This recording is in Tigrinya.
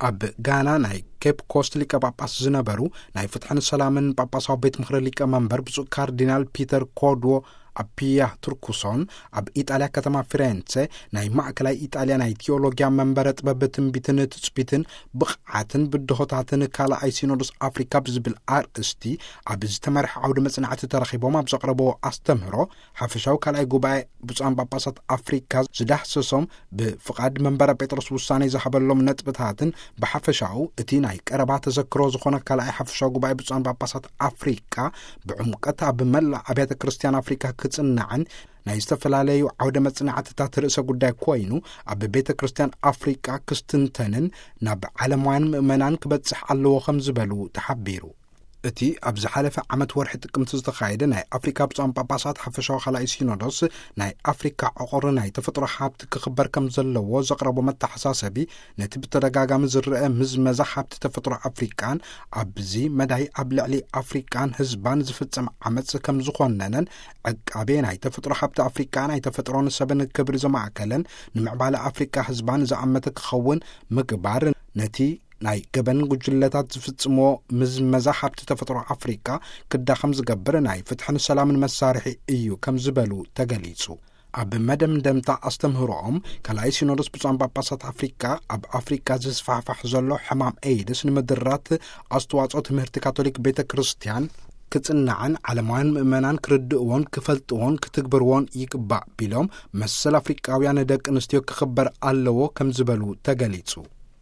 ኣብ ጋና ናይ ኬፕ ኮስት ሊቀ ጳጳስ ዝነበሩ፣ ናይ ፍትሕን ሰላምን ጳጳሳዊ ቤት ምኽሪ ሊቀ መንበር ብፁዕ ካርዲናል ፒተር ኮድዎ ኣፒያ ቱርኩሶን፣ ኣብ ኢጣልያ ከተማ ፊሬንሴ ናይ ማእከላይ ኢጣልያ ናይ ቲዮሎጊያ መንበረ ጥበብ ትንቢትን ትጽቢትን ብቕዓትን ብድሆታትን ካልኣይ ሲኖዶስ ኣፍሪካ ብዝብል ኣርእስቲ ኣብ ዝተመርሐ ዓውዲ መጽናዕቲ ተረኺቦም ኣብ ዘቕረብዎ ኣስተምህሮ፣ ሓፈሻዊ ካልኣይ ጉባኤ ብፁዓን ጳጳሳት ኣፍሪካ ዝዳህሰሶም፣ ብፍቓድ መንበረ ጴጥሮስ ውሳኔ ዝሃበሎም ነጥብታትን፣ ብሓፈሻኡ እቲ ናይ ቀረባ ተዘክሮ ዝኾነ ካልኣይ ሓፈሻዊ ጉባኤ ብፁዓን ጳጳሳት ኣፍሪካ ብዕምቀት ኣብ መላእ ኣብያተ ክርስቲያን ኣፍሪካ ክጽናዕን ናይ ዝተፈላለዩ ዓውደ መጽናዕትታት ርእሰ ጉዳይ ኮይኑ፣ ኣብ ቤተ ክርስቲያን ኣፍሪካ ክስትንተንን ናብ ዓለማውያን ምእመናን ክበጽሕ ኣለዎ ከም ዝበሉ ተሓቢሩ። እቲ ኣብ ዝሓለፈ ዓመት ወርሒ ጥቅምቲ ዝተኻየደ ናይ ኣፍሪካ ብፁዓን ጳጳሳት ሓፈሻዊ ካልኣይ ሲኖዶስ፣ ናይ ኣፍሪካ ዕቑር ናይ ተፈጥሮ ሃብቲ ክኽበር ከም ዘለዎ ዘቕረቦ መተሓሳሰቢ፣ ነቲ ብተደጋጋሚ ዝረአ ምዝመዛ ሃብቲ ተፈጥሮ ኣፍሪቃን ኣብዚ መዳይ ኣብ ልዕሊ ኣፍሪቃን ህዝባን ዝፍጸም ዓመጽ ከም ዝኾነነን፣ ዕቃቤ ናይ ተፈጥሮ ሃብቲ ኣፍሪቃ ናይ ተፈጥሮን ሰብን ክብሪ ዘማእከለን፣ ንምዕባለ ኣፍሪቃ ህዝባን ዝኣመተ ክኸውን ምግባር፣ ነቲ ናይ ገበን ጉጅለታት ዝፍጽምዎ ምዝመዛ ሃብቲ ተፈጥሮ ኣፍሪቃ ክዳኸም ዝገብር ናይ ፍትሕን ሰላምን መሳርሒ እዩ ከም ዝበሉ ተገሊጹ። ኣብ መደምደምታ ኣስተምህሮኦም፣ ካልኣይ ሲኖዶስ ብፁዓን ጳጳሳት ኣፍሪቃ ኣብ ኣፍሪቃ ዝስፋሕፋሕ ዘሎ ሕማም ኤይድስ ንምድራት ኣስተዋጽኦ ትምህርቲ ካቶሊክ ቤተ ክርስቲያን ክጽናዕን ዓለማውያን ምእመናን ክርድእዎን ክፈልጥዎን ክትግብርዎን ይግባእ ቢሎም፣ መሰል ኣፍሪቃውያን ደቂ ኣንስትዮ ክኽበር ኣለዎ ከም ዝበሉ ተገሊጹ።